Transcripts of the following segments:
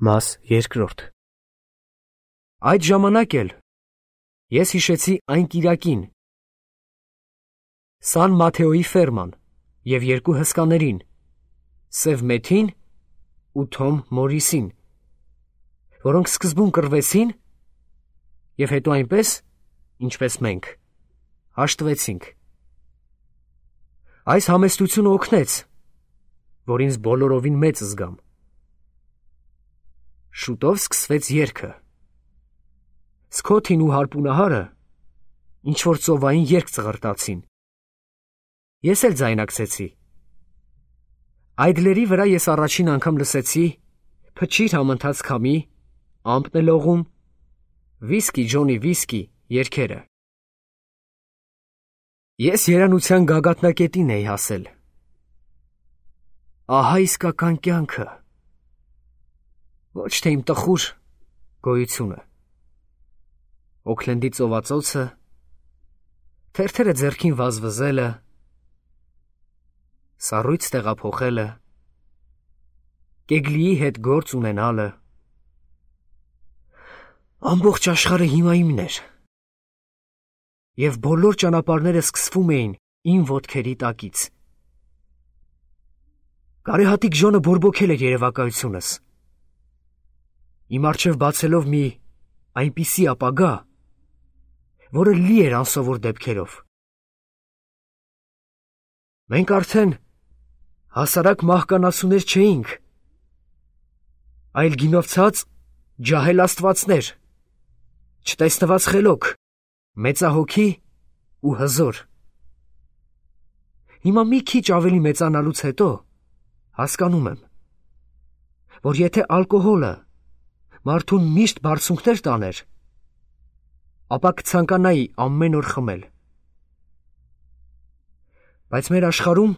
Մաս երկրորդ։ Այդ ժամանակ էլ ես հիշեցի այն կիրակին, Սան Մաթեոյի ֆերման և երկու հսկաներին, Սև Մեթին ու Թոմ Մորիսին, որոնք սկզբում կռվեցին և հետո այնպես, ինչպես մենք, հաշտվեցինք։ Այս համեստությունը օգնեց, որ ինձ բոլորովին մեծ զգամ։ Շուտով սկսվեց երգը։ Սքոթին ու հարպունահարը ինչ-որ ծովային երգ ծղրտացին։ Ես էլ ձայնակցեցի։ Այդլերի վրա ես առաջին անգամ լսեցի «Փչիր համընթաց քամի», «Ամպն է լողում», «Վիսկի Ջոնի վիսկի» երգերը։ Ես երանության գագաթնակետին էի հասել։ Ահա իսկական կյանքը, ոչ թե իմ տխուր գոյությունը։ Օքլենդի ծովածոցը, թերթերը ձեռքին վազվզելը, սառույց տեղափոխելը, Կեգլիի հետ գործ ունենալը։ Ամբողջ աշխարհը հիմա իմն էր, և բոլոր ճանապարհները սկսվում էին իմ ոտքերի տակից։ Կարեհատիկ Ջոնը բորբոքել էր երևակայությունս, իմ առջև բացելով մի այնպիսի ապագա, որը լի էր անսովոր դեպքերով։ Մենք արդեն հասարակ մահկանացուներ չէինք, այլ գինովցած ջահել աստվածներ, չտեսնված խելոք, մեծահոգի ու հզոր։ Հիմա մի քիչ ավելի մեծանալուց հետո հասկանում եմ, որ եթե ալկոհոլը մարդուն միշտ բարձունքներ տաներ, ապա կցանկանայի ամեն օր խմել։ Բայց մեր աշխարհում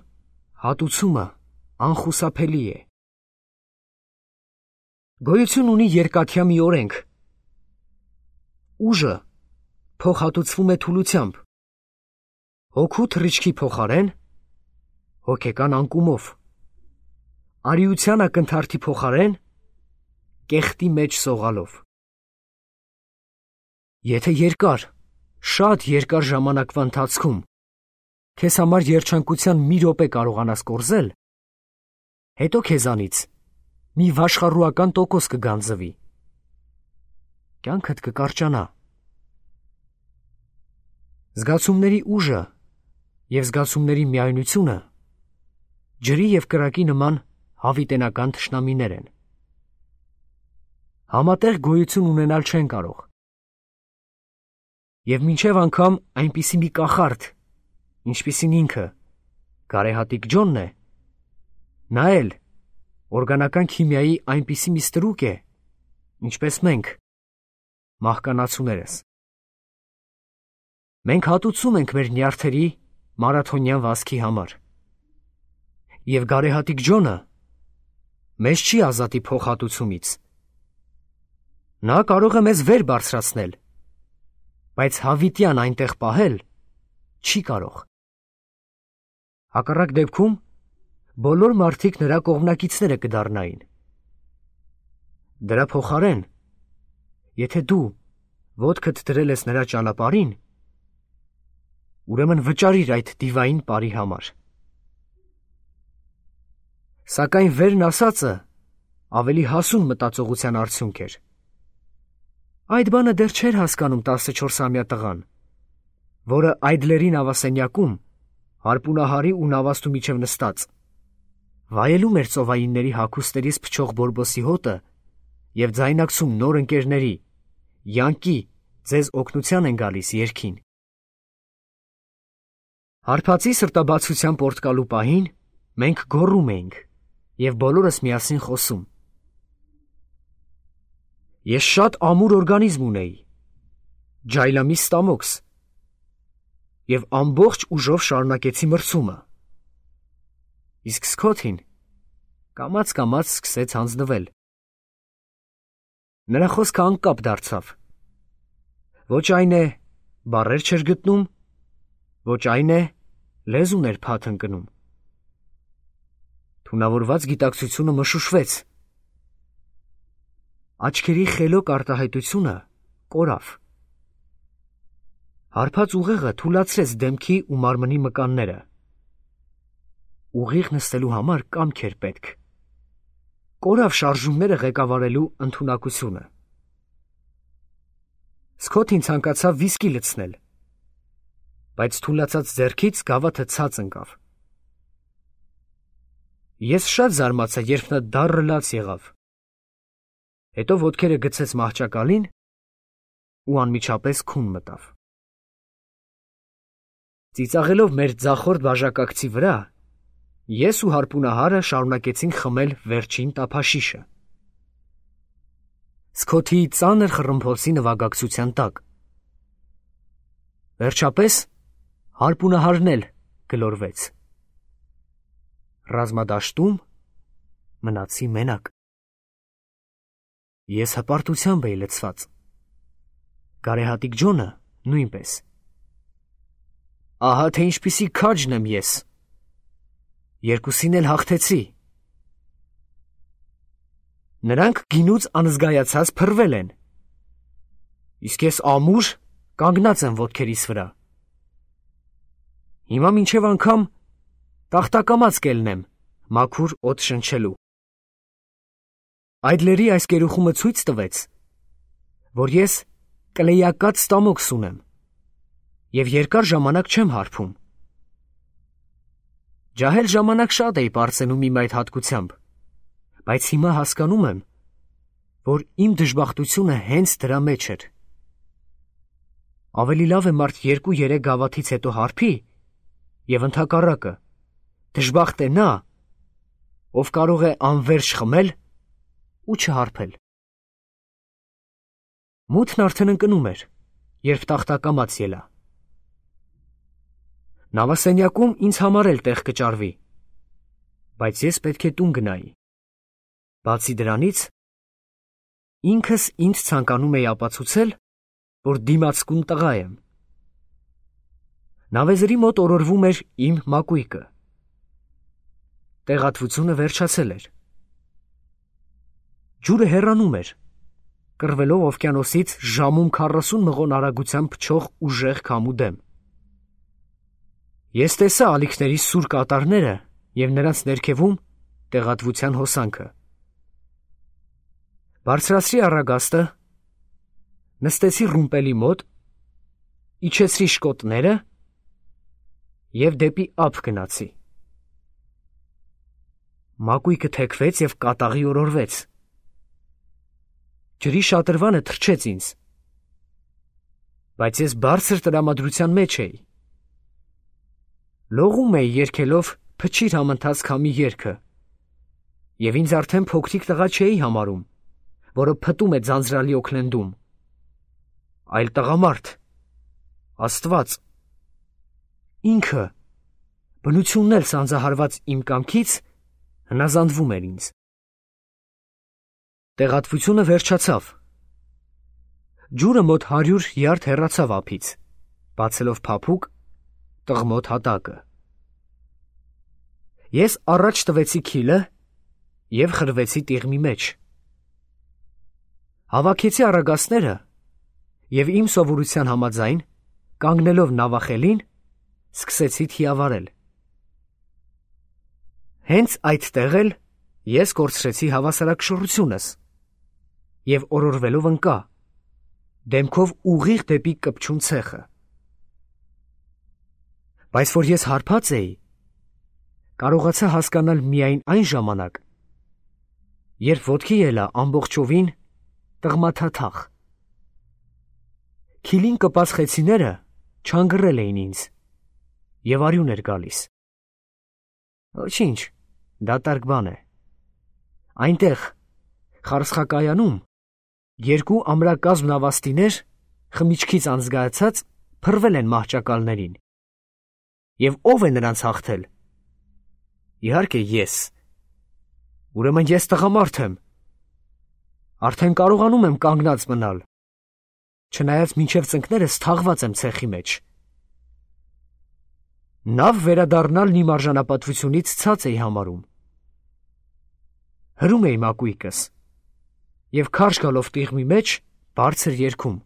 հատուցումը անխուսափելի է։ Գոյություն ունի երկաթյա մի օրենք. ուժը փոխհատուցվում է թուլությամբ, հոգու թռիչքի փոխարեն հոգեկան անկումով, արիության ակնթարթի փոխարեն կեղտի մեջ սողալով։ Եթե երկար, շատ երկար ժամանակվա ընթացքում քեզ համար երջանկության մի րոպե կարողանաս կորզել, հետո քեզանից մի վաշխառուական տոկոս կգանձվի, կյանքդ կկարճանա։ Զգացումների ուժը և զգացումների միայնությունը ջրի և կրակի նման հավիտենական թշնամիներ են։ Համատեղ գոյություն ունենալ չեն կարող։ Եվ մինչև անգամ այնպիսի մի կախարդ, ինչպիսին ինքը, Գարեհատիկ Ջոնն է, նա էլ օրգանական քիմիայի այնպիսի մի ստրուկ է, ինչպես մենք, մահկանացուներս։ Մենք հատուցում ենք մեր նյարդերի մարաթոնյան վազքի համար։ Եվ Գարեհատիկ Ջոնը մեզ չի ազատի փոխհատուցումից։ Նա կարող է մեզ վեր բարձրացնել, բայց հավիտյան այնտեղ պահել չի կարող։ Հակառակ դեպքում բոլոր մարդիկ նրա կողմնակիցները կդառնային։ Դրա փոխարեն, եթե դու ոտքդ դրել ես նրա ճանապարհին, ուրեմն վճարիր այդ դիվային պարի համար։ Սակայն վերն ասածը ավելի հասուն մտածողության արդյունք էր։ Այդ բանը դեռ չէր հասկանում 14-ամյա տղան, որը Այդլերի նավասենյակում, հարպունահարի ու նավաստու միջև նստած, վայելում էր ծովայինների հագուստերից փչող բորբոսի հոտը և ձայնակցում նոր ընկերների «Յանկի, ձեզ օգնության են գալիս» երգին։ Հարբածի սրտաբացության պորտկալու պահին մենք գոռում էինք և բոլորս միասին խոսում։ Ես շատ ամուր օրգանիզմ ունեի, ջայլամի ստամոքս, և ամբողջ ուժով շարունակեցի մրցումը։ Իսկ Սքոթին կամաց-կամաց սկսեց հանձնվել։ Նրա խոսքը անկապ դարձավ։ Ոչ այն է, բառեր չէր գտնում, ոչ այն է, լեզուն էր փաթ ընկնում։ Թունավորված գիտակցությունը մշուշվեց։ Աչքերի խելոք արտահայտությունը կորավ։ Հարբած ուղեղը թուլացրեց դեմքի ու մարմնի մկանները։ Ուղիղ նստելու համար կամք էր պետք։ Կորավ շարժումները ղեկավարելու ընդունակությունը։ Սքոթին ցանկացավ վիսկի լցնել, բայց թուլացած ձեռքից գավաթը ցած ընկավ։ Ես շատ զարմացա, երբ նա դառը լաց եղավ։ Հետո ոտքերը գցեց մահճակալին ու անմիջապես քուն մտավ։ Ծիծաղելով մեր ձախորդ բաժակակցի վրա, ես ու հարպունահարը շարունակեցինք խմել վերջին տափաշիշը։ Սքոթի ծանր խռմփոցի նվագակցության տակ։ Վերջապես հարպունահարն էլ գլորվեց։ Ռազմադաշտում մնացի մենակ։ Ես հպարտությամբ էի լցված։ Գարեհատիկ Ջոնը նույնպես։ Ահա թե ինչպիսի քաջն եմ ես։ Երկուսին էլ հաղթեցի։ Նրանք գինուց անզգայացած փռվել են։ Իսկ ես ամուր կանգնած եմ ոտքերիս վրա։ Հիմա մինչև անգամ տախտակամած կելնեմ մաքուր օդ շնչելու։ Այդլերի այս գերուխումը ցույց տվեց, որ ես կլեյակած ստամոքս ունեմ և երկար ժամանակ չեմ հարբում։ Ջահել ժամանակ շատ էի պարծենում իմ այդ հատկությամբ, բայց հիմա հասկանում եմ, որ իմ դժբախտությունը հենց դրա մեջ էր։ Ավելի լավ է մարդ 2-3 գավաթից հետո հարբի և ընդհակառակը դժբախտ է նա, ով կարող է անվերջ խմել ու չհարբել։ Մութն արդեն ընկնում էր, երբ տախտակամած ելա։ Նավասենյակում ինձ համար էլ տեղ կճարվի, բայց ես պետք է տուն գնայի։ Բացի դրանից, ինքս ինձ ցանկանում էի ապացուցել, որ դիմացկուն տղա եմ։ Նավեզրի մոտ օրորվում էր իմ մակույկը։ Տեղատվությունը վերջացել էր։ Ջուրը հեռանում էր, կռվելով օվկիանոսից ժամում 40 մղոն արագությամբ փչող ուժեղ քամու դեմ։ Ես տեսա ալիքների սուր կատարները և նրանց ներքևում տեղատվության հոսանքը։ Բարձրացրի առագաստը, նստեցի ռումպելի մոտ, իջեցրի շկոտները և դեպի ափ գնացի։ Մակույկը թեքվեց և կատաղի օրորվեց։ Ջրի շատրվանը թրջեց ինձ, բայց ես բարձր տրամադրության մեջ էի։ Լողում էի երգելով «Փչիր համընթաց քամի» երգը, և ինձ արդեն փոքրիկ տղա չէի համարում, որը փտում է ձանձրալի օքլենդում, այլ տղամարդ, Աստված, ինքը, բնությունն էլ սանձահարված իմ կամքից, հնազանդվում էր ինձ։ Տեղատվությունը վերջացավ։ Ջուրը մոտ 100 յարդ հեռացավ ափից, բացելով փափուկ, տղմոտ հատակը։ Ես առաջ տվեցի քիլը և խրվեցի տիղմի մեջ։ Հավաքեցի առագաստները և իմ սովորության համաձայն, կանգնելով նավախելին, սկսեցի թիավարել։ Հենց այդտեղ էլ ես կորցրեցի հավասարակշռությունս և օրորվելով ընկա, դեմքով ուղիղ դեպի կպչուն ցեխը։ Բայց որ ես հարբած էի, կարողացա հասկանալ միայն այն ժամանակ, երբ ոտքի ելա ամբողջովին տղմաթաթախ։ Քիլին կպած խեցիները չանգռել էին ինձ և արյուն էր գալիս։ Ոչինչ, դատարկ բան է։ Այնտեղ, խարսխակայանում, 2 ամրակազմ նավաստիներ, խմիչքից անզգայացած, փռվել են մահճակալներին։ Եվ ո՞վ է նրանց հաղթել։ Իհարկե ես։ Ուրեմն ես տղամարդ եմ։ Արդեն կարողանում եմ կանգնած մնալ, չնայած մինչև ծնկներս թաղված եմ ցեխի մեջ։ Նավ վերադառնալն իմ արժանապատվությունից ցած էի համարում։ Հրում էի մակույկս և քարշ գալով տիղմի մեջ բարձր երգում.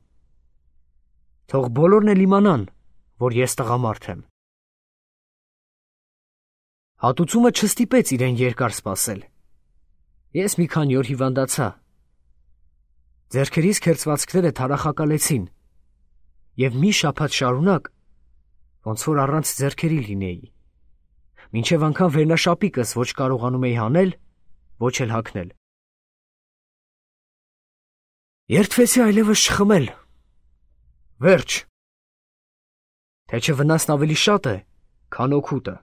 «Թող բոլորն էլ իմանան, որ ես տղամարդ եմ»։ Հատուցումը չստիպեց իրեն երկար սպասել։ Ես մի քանի օր հիվանդացա։ Ձեռքերիս քերծվածքները թարախակալեցին, և մի շաբաթ շարունակ ոնց որ առանց ձեռքերի լինեի, մինչև անգամ վերնաշապիկս ոչ կարողանում էի հանել, ոչ էլ հագնել։ Երդվեցի այլևս չխմել։ Վերջ։ Թե չէ վնասն ավելի շատ է, քան օգուտը։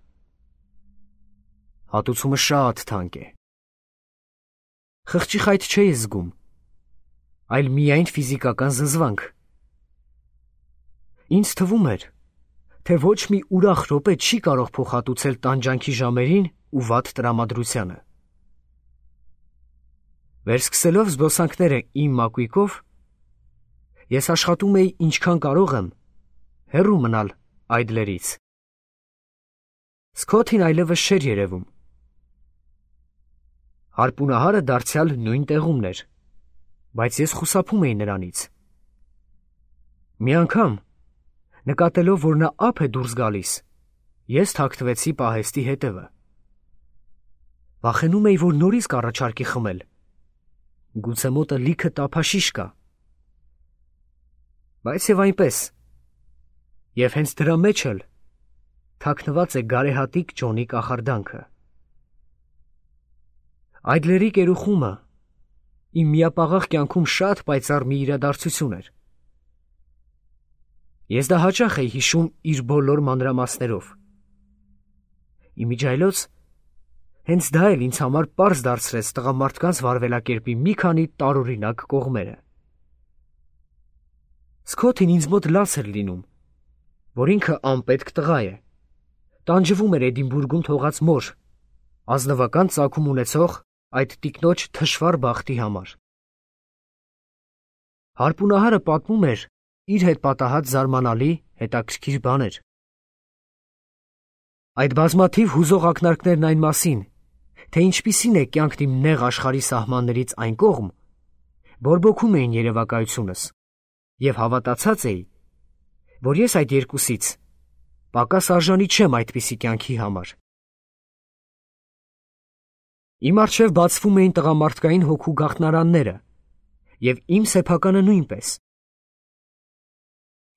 Հատուցումը շատ թանկ է։ Խղճի խայտ չէի զգում, այլ միայն ֆիզիկական զզվանք։ Ինձ թվում էր, թե ոչ մի ուրախ րոպե չի կարող փոխհատուցել տանջանքի ժամերին ու վատ տրամադրությանը։ Վերսկսելով զբոսանքները իմ մակույկով, ես աշխատում էի ինչքան կարող եմ հեռու մնալ Այդլերից։ Սքոթին այլևս չէր երևում։ Հարպունահարը դարձյալ նույն տեղումն էր, բայց ես խուսափում էի նրանից։ Մի անգամ, նկատելով, որ նա ափ է դուրս գալիս, ես թաքցվեցի պահեստի հետևը։ Վախենում էի, որ նորից կառաջարկի խմել։ Գուցե մոտը լիքը տափաշիշ կա։ Բայց և այնպես, և հենց դրա մեջ էլ թաքնված է գարեհատիկ Ջոնի կախարդանքը։ Այդլերի կերուխումը իմ միապաղաղ կյանքում շատ պայծառ մի իրադարձություն էր։ Ես դա հաճախ էի հիշում իր բոլոր մանրամասներով։ Իմիջիայլոց հենց դա էլ ինձ համար պարզ դարձրեց տղամարդկանց վարվելակերպի մի քանի տարօրինակ կողմերը։ Սքոթին ինձ մոտ լաց էր լինում, որ ինքը անպետք տղա է, տանջվում էր Էդինբուրգում թողած մոր, ազնվական ծագում ունեցող այդ տիկնոջ թշվառ բախտի համար։ Հարպունահարը պատմում էր իր հետ պատահած զարմանալի հետաքրքիր բաներ։ Այդ բազմաթիվ հուզող ակնարկներն այն մասին, թե ինչպիսին է կյանքն իմ նեղ աշխարհի սահմաններից այն կողմ, բորբոքում էին երևակայությունս, և հավատացած էի, որ ես այդ երկուսից պակաս արժանի չեմ այդպիսի կյանքի համար։ Իմ առջև բացվում էին տղամարդկային հոգու գաղտնարանները, և իմ սեփականը նույնպես։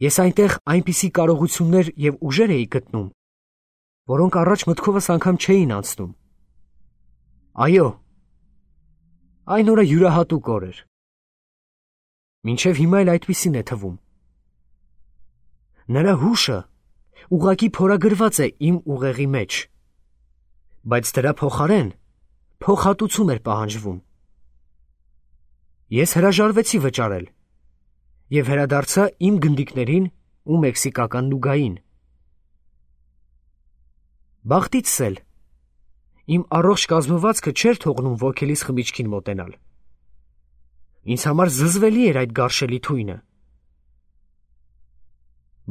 Ես այնտեղ այնպիսի կարողություններ և ուժեր էի գտնում, որոնք առաջ մտքովս անգամ չէին անցնում։ Այո, այն օրը յուրահատուկ օր էր։ Մինչև հիմա էլ այդպիսին է թվում։ Նրա հուշը ուղղակի փորագրված է իմ ուղեղի մեջ, բայց դրա փոխարեն փոխհատուցում էր պահանջվում։ Ես հրաժարվեցի վճարել և վերադարձա իմ գնդիկներին ու մեքսիկական նուգային։ Բախտիցս էլ իմ առողջ կազմվածքը չէր թողնում ոգելիս խմիչքին մոտենալ։ Ինձ համար զզվելի էր այդ գարշելի թույնը։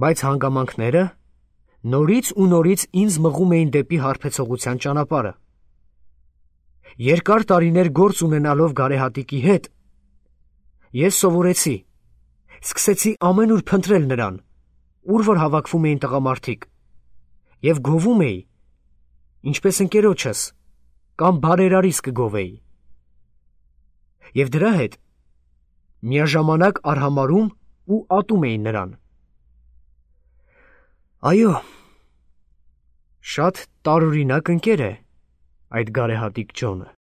Բայց հանգամանքները նորից ու նորից ինձ մղում էին դեպի հարբեցողության ճանապարհը։ Երկար տարիներ գործ ունենալով գարեհատիկի հետ, ես սովորեցի, սկսեցի ամենուր փնտրել նրան, ուր որ հավաքվում էին տղամարդիկ, և գովում էի, ինչպես ընկերոջս կամ բարերարիս կգովեի։ Եվ դրա հետ միաժամանակ արհամարհում ու ատում էի նրան։ Այո, շատ տարօրինակ ընկեր է այդ գարեհատիկ Ջոնը։